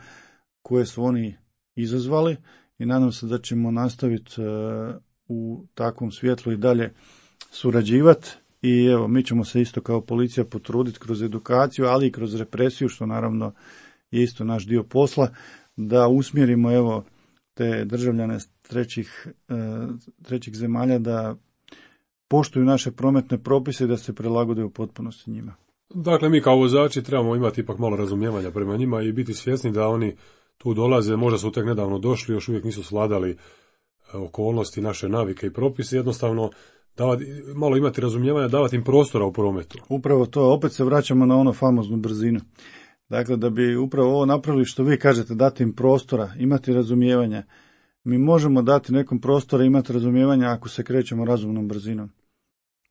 B: koje su oni izazvali i nadam se da ćemo nastaviti e, u takvom svjetlu i dalje surađivati. I evo, mi ćemo se isto kao policija potruditi kroz edukaciju, ali i kroz represiju, što naravno je isto naš dio posla, da usmjerimo evo te državljane trećih, trećih zemalja da poštuju naše prometne propise i da se prilagode u potpunosti njima.
A: Dakle, mi kao vozači trebamo imati ipak malo razumijevanja prema njima i biti svjesni da oni tu dolaze, možda su tek nedavno došli, još uvijek nisu svladali okolnosti, naše navike i propise, jednostavno davati, malo imati razumijevanja, davati im prostora u prometu.
B: Upravo to, opet se vraćamo na ono famoznu brzinu. Dakle, da bi upravo ovo napravili što vi kažete, dati im prostora, imati razumijevanja. Mi možemo dati nekom prostora, imati razumijevanja ako se krećemo razumnom brzinom.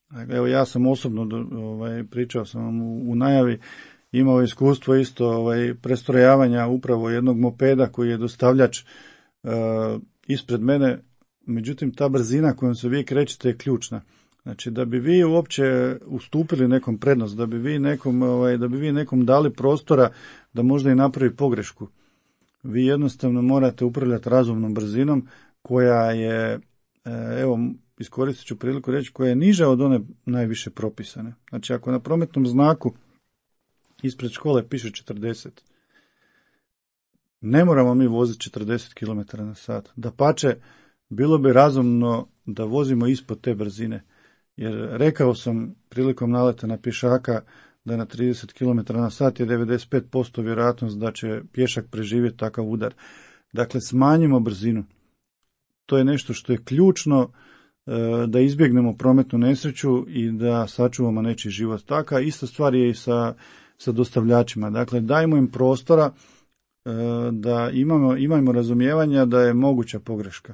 B: Dakle, evo ja sam osobno, ovaj, pričao sam vam u, u najavi, imao iskustvo isto ovaj, prestrojavanja upravo jednog mopeda koji je dostavljač uh, ispred mene. Međutim, ta brzina kojom se vi krećete je ključna. Znači, da bi vi uopće ustupili nekom prednost, da bi vi nekom, ovaj, da bi vi nekom dali prostora da možda i napravi pogrešku, vi jednostavno morate upravljati razumnom brzinom koja je, evo, iskoristit ću priliku reći, koja je niža od one najviše propisane. Znači, ako na prometnom znaku ispred škole piše četrdeset, ne moramo mi voziti četrdeset kilometara na sat. Dapače, bilo bi razumno da vozimo ispod te brzine. Jer rekao sam prilikom naleta na pješaka da na trideset kilometara na sat je devedeset pet posto vjerojatnost da će pješak preživjeti takav udar. Dakle, smanjimo brzinu. To je nešto što je ključno da izbjegnemo prometnu nesreću i da sačuvamo nečiji život. Taka ista stvar je i sa, sa dostavljačima. Dakle, dajmo im prostora da imamo, imamo razumijevanja da je moguća pogreška.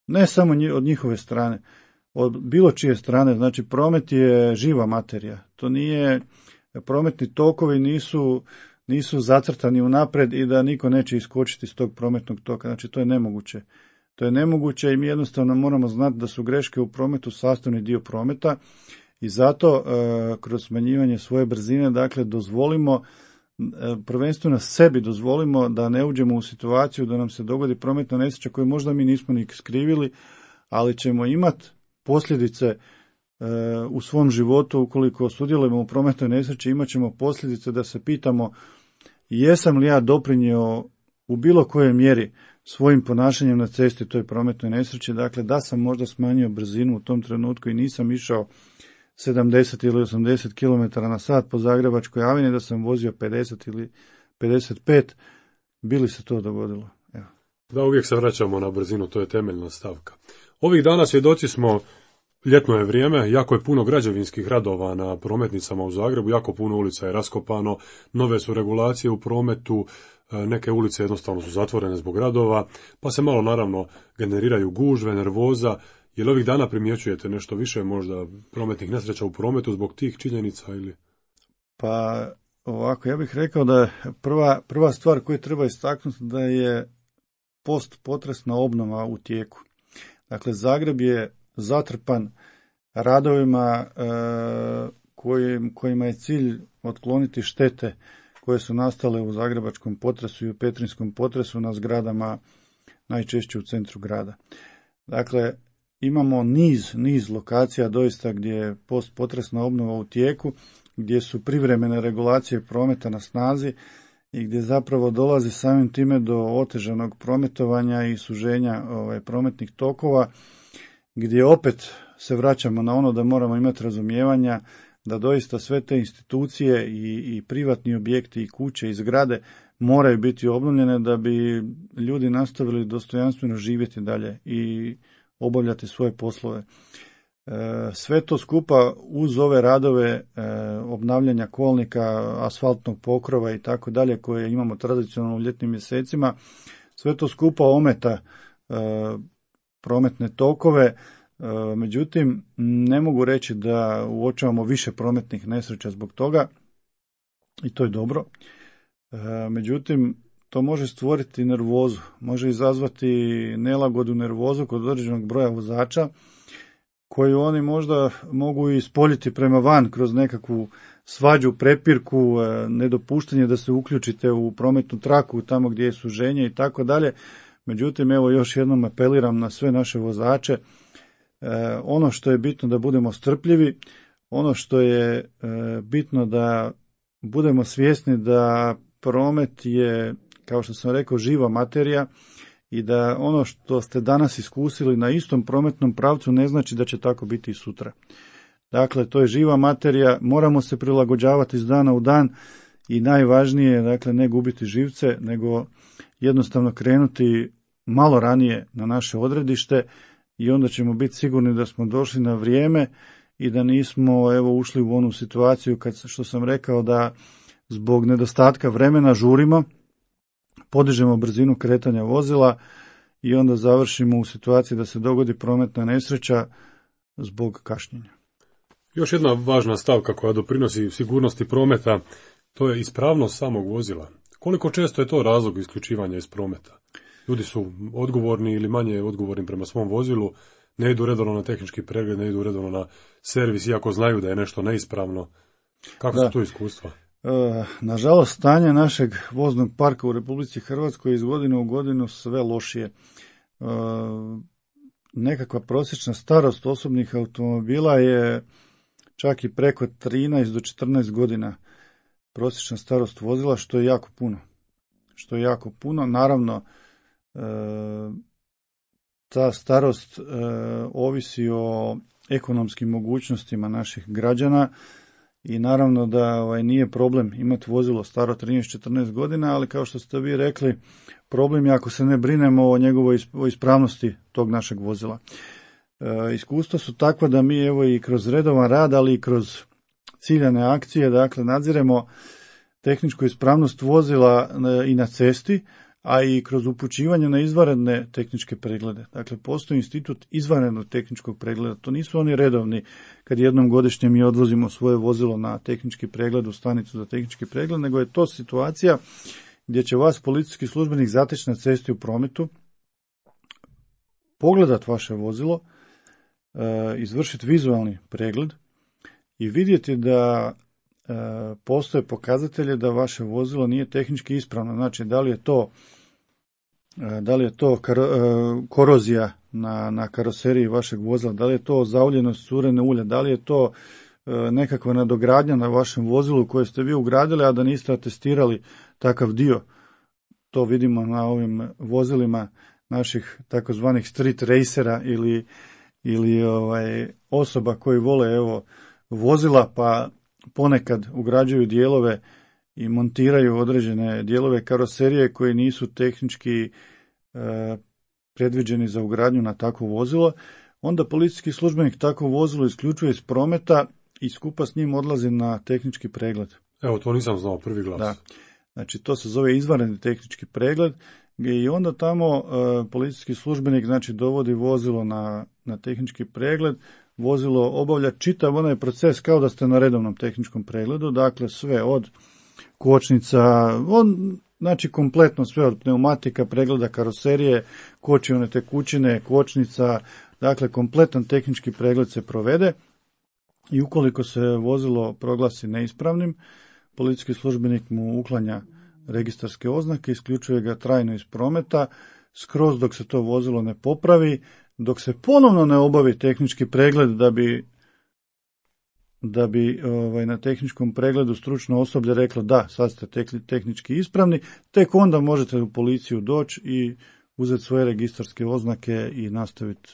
B: Ne samo od njihove strane, od bilo čije strane. Znači, promet je živa materija. To nije, prometni tokovi nisu, nisu zacrtani unaprijed i da niko neće iskočiti iz tog prometnog toka. Znači, to je nemoguće. To je nemoguće i mi jednostavno moramo znati da su greške u prometu sastavni dio prometa i zato e, kroz smanjivanje svoje brzine, dakle, dozvolimo, e, prvenstveno sebi dozvolimo da ne uđemo u situaciju da nam se dogodi prometna nesreća koju možda mi nismo ni skrivili, ali ćemo imati posljedice e, u svom životu ukoliko sudjelujemo u prometnoj nesreći, imat ćemo posljedice da se pitamo jesam li ja doprinio u bilo kojoj mjeri svojim ponašanjem na cesti toj prometnoj nesreći, dakle da sam možda smanjio brzinu u tom trenutku i nisam išao sedamdeset ili osamdeset kilometara na sat po Zagrebačkoj avini, da sam vozio pedeset ili pedeset pet, bi li se to dogodilo? Evo.
A: Da, uvijek se vraćamo na brzinu, to je temeljna stavka. Ovih dana svjedoci smo, ljetno je vrijeme, jako je puno građevinskih radova na prometnicama u Zagrebu, jako puno ulica je raskopano, nove su regulacije u prometu, neke ulice jednostavno su zatvorene zbog radova, pa se malo naravno generiraju gužve, nervoza. Je li ovih dana primjećujete nešto više možda prometnih nesreća u prometu zbog tih činjenica ili?
B: Pa ovako, ja bih rekao da prva, prva stvar koju treba istaknuti da je postpotresna obnova u tijeku. Dakle, Zagreb je zatrpan radovima e, koji, kojima je cilj otkloniti štete koje su nastale u zagrebačkom potresu i u petrinjskom potresu na zgradama najčešće u centru grada. Dakle, imamo niz, niz lokacija doista gdje je postpotresna obnova u tijeku, gdje su privremene regulacije prometa na snazi i gdje zapravo dolazi samim time do otežanog prometovanja i suženja ovaj, prometnih tokova, gdje opet se vraćamo na ono da moramo imati razumijevanja da doista sve te institucije i, i privatni objekti i kuće i zgrade moraju biti obnovljene da bi ljudi nastavili dostojanstveno živjeti dalje i obavljati svoje poslove. E, sve to skupa uz ove radove e, obnavljanja kolnika, asfaltnog pokrova i tako dalje koje imamo tradicionalno u ljetnim mjesecima, sve to skupa ometa e, prometne tokove. Međutim, ne mogu reći da uočavamo više prometnih nesreća zbog toga i to je dobro. Međutim, to može stvoriti nervozu, može izazvati nelagodu, nervozu kod određenog broja vozača koju oni možda mogu ispoljiti prema van kroz nekakvu svađu, prepirku, nedopuštanje da se uključite u prometnu traku tamo gdje je suženje i tako dalje. Međutim, evo još jednom apeliram na sve naše vozače. E, ono što je bitno da budemo strpljivi, ono što je e, bitno da budemo svjesni da promet je, kao što sam rekao, živa materija i da ono što ste danas iskusili na istom prometnom pravcu ne znači da će tako biti i sutra. Dakle, to je živa materija, moramo se prilagođavati iz dana u dan i najvažnije, dakle, ne gubiti živce, nego jednostavno krenuti malo ranije na naše odredište i onda ćemo biti sigurni da smo došli na vrijeme i da nismo evo ušli u onu situaciju kad, što sam rekao, da zbog nedostatka vremena žurimo, podižemo brzinu kretanja vozila i onda završimo u situaciji da se dogodi prometna nesreća zbog kašnjenja.
A: Još jedna važna stavka koja doprinosi sigurnosti prometa, to je ispravnost samog vozila. Koliko često je to razlog isključivanja iz prometa? Ljudi su odgovorni ili manje odgovorni prema svom vozilu, ne idu redovno na tehnički pregled, ne idu redovno na servis, iako znaju da je nešto neispravno. Kako da. su to iskustva?
B: E, nažalost, stanje našeg voznog parka u Republici Hrvatskoj iz godine u godinu sve lošije. E, nekakva prosječna starost osobnih automobila je čak i preko trinaest do četrnaest godina prosječna starost vozila, što je jako puno. Što je jako puno. Naravno, e, ta starost e, ovisi o ekonomskim mogućnostima naših građana i naravno da ovaj, nije problem imati vozilo staro trinaest četrnaest godina, ali kao što ste vi rekli, problem je ako se ne brinemo o njegovoj o ispravnosti tog našeg vozila. E, iskustva su takva da mi evo i kroz redovan rad, ali i kroz ciljane akcije, dakle nadziremo tehničku ispravnost vozila i na cesti, a i kroz upućivanje na izvanredne tehničke preglede. Dakle, postoji institut izvanrednog tehničkog pregleda. To nisu oni redovni kad jednom godišnje mi odvozimo svoje vozilo na tehnički pregled u stanicu za tehnički pregled, nego je to situacija gdje će vas policijski službenik zateći na cesti u prometu, pogledat vaše vozilo, izvršiti vizualni pregled i vidjeti da postoje pokazatelje da vaše vozilo nije tehnički ispravno. Znači, da li je to, da li je to korozija na, na karoseriji vašeg vozila, da li je to zauljenost curene ulja, da li je to nekakva nadogradnja na vašem vozilu koje ste vi ugradili, a da niste atestirali takav dio. To vidimo na ovim vozilima naših takozvanih street racera ili, ili ovaj, osoba koji vole evo, vozila pa ponekad ugrađuju dijelove i montiraju određene dijelove karoserije koji nisu tehnički e, predviđeni za ugradnju na takvo vozilo. Onda policijski službenik takvo vozilo isključuje iz prometa i skupa s njim odlazi na tehnički pregled.
A: Evo, to nisam znao, prvi glas.
B: Da. Znači, to se zove izvanredni tehnički pregled i onda tamo e, policijski službenik znači dovodi vozilo na, na tehnički pregled. Vozilo obavlja čitav onaj proces kao da ste na redovnom tehničkom pregledu, dakle sve od kočnica, on, znači kompletno sve od pneumatika, pregleda karoserije, kočione tekućine, kočnica, dakle kompletan tehnički pregled se provede i ukoliko se vozilo proglasi neispravnim, policijski službenik mu uklanja registarske oznake, isključuje ga trajno iz prometa, skroz dok se to vozilo ne popravi, dok se ponovno ne obavi tehnički pregled da bi, da bi ovaj, na tehničkom pregledu stručno osoblje reklo da, sad ste tehnički ispravni, tek onda možete u policiju doći i uzeti svoje registarske oznake i nastaviti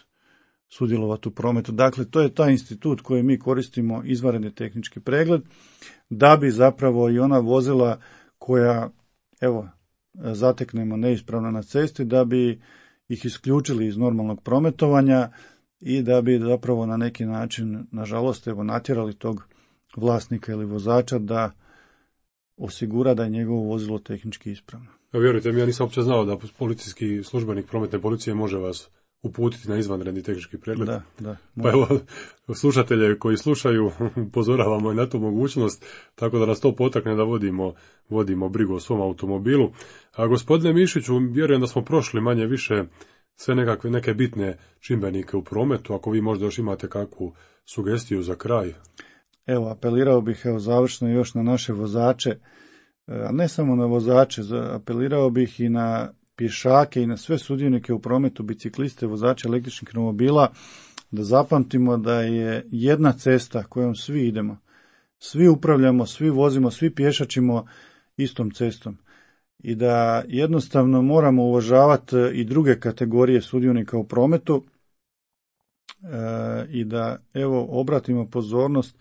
B: sudjelovati u prometu. Dakle, to je taj institut koji mi koristimo, izvanredni tehnički pregled, da bi zapravo i ona vozila koja, evo, zateknemo neispravno na cesti, da bi ih isključili iz normalnog prometovanja i da bi zapravo na neki način, nažalost, evo, natjerali tog vlasnika ili vozača da osigura da je njegovo vozilo tehnički ispravno.
A: Ja, vjerujte mi, ja nisam uopće znao da policijski službenik prometne policije može vas uputiti na izvanredni tehnički pregled.
B: Da, da.
A: Pa evo, slušatelje koji slušaju, upozoravamo i na tu mogućnost, tako da nas to potakne da vodimo, vodimo brigu o svom automobilu. A gospodine Mišiću, vjerujem da smo prošli manje više sve nekakve neke bitne čimbenike u prometu, ako vi možda još imate kakvu sugestiju za kraj.
B: Evo, apelirao bih evo, završno još na naše vozače, a ne samo na vozače, apelirao bih i na pješake i na sve sudionike u prometu, bicikliste, vozače električnih romobila, da zapamtimo da je jedna cesta kojom svi idemo, svi upravljamo, svi vozimo, svi pješačimo istom cestom i da jednostavno moramo uvažavati i druge kategorije sudionika u prometu e, i da evo obratimo pozornost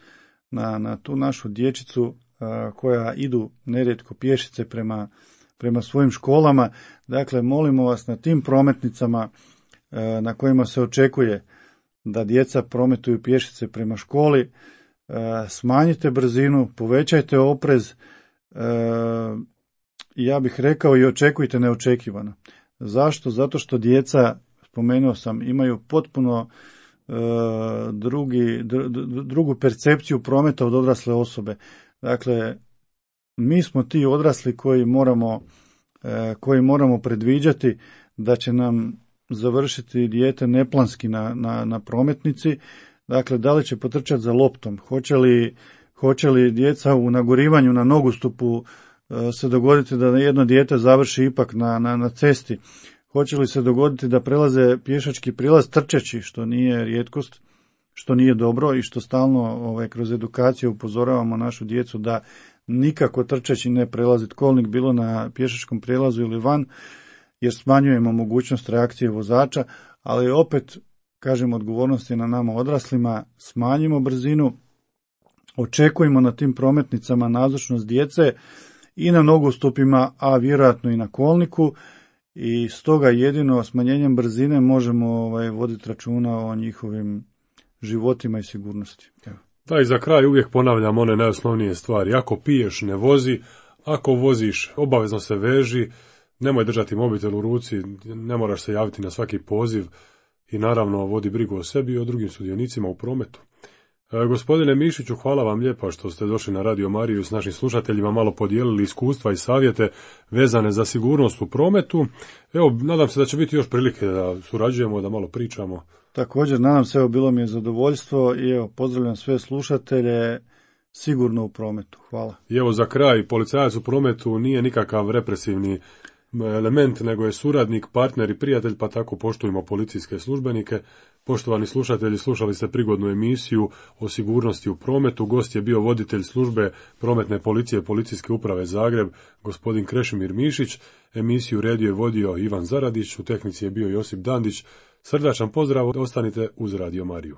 B: na, na tu našu dječicu e, koja idu nerijetko pješice prema prema svojim školama. Dakle, molimo vas na tim prometnicama e, na kojima se očekuje da djeca prometuju pješice prema školi, e, smanjite brzinu, povećajte oprez, e, ja bih rekao i očekujte neočekivano. Zašto? Zato što djeca, spomenuo sam, imaju potpuno e, drugi, dr, drugu percepciju prometa od odrasle osobe. Dakle, mi smo ti odrasli koji moramo, e, koji moramo predviđati da će nam završiti dijete neplanski na, na, na prometnici. Dakle, da li će potrčati za loptom, hoće li, hoće li djeca u nagorivanju na nogostupu e, se dogoditi da jedno dijete završi ipak na, na, na cesti, hoće li se dogoditi da prelaze pješački prilaz trčeći, što nije rijetkost, što nije dobro i što stalno ovaj, kroz edukaciju upozoravamo našu djecu da nikako trčeći ne prelaziti kolnik bilo na pješačkom prijelazu ili van, jer smanjujemo mogućnost reakcije vozača, ali opet, kažem, odgovornost je na nama odraslima, smanjimo brzinu, očekujemo na tim prometnicama nazočnost djece i na nogostupima, a vjerojatno i na kolniku, i stoga jedino smanjenjem brzine možemo ovaj, voditi računa o njihovim životima i sigurnosti. Evo.
A: Da, i za kraj uvijek ponavljam one najosnovnije stvari. Ako piješ, ne vozi, ako voziš, obavezno se veži, nemoj držati mobitel u ruci, ne moraš se javiti na svaki poziv i naravno vodi brigu o sebi i o drugim sudionicima u prometu. E, gospodine Mišiću, hvala vam lijepa što ste došli na Radio Mariju i s našim slušateljima malo podijelili iskustva i savjete vezane za sigurnost u prometu. Evo, nadam se da će biti još prilike da surađujemo, da malo pričamo.
B: Također, nadam se, evo, bilo mi je zadovoljstvo i evo, pozdravljam sve slušatelje, sigurno u prometu. Hvala.
A: I evo za kraj, policajac u prometu nije nikakav represivni element, nego je suradnik, partner i prijatelj, pa tako poštujemo policijske službenike. Poštovani slušatelji, slušali ste prigodnu emisiju o sigurnosti u prometu. Gost je bio voditelj službe prometne policije Policijske uprave Zagreb, gospodin Krešimir Mišić. Emisiju redio je vodio Ivan Zaradić, u tehnici je bio Josip Dandić. Srdačan pozdrav, ostanite uz Radio Mariju.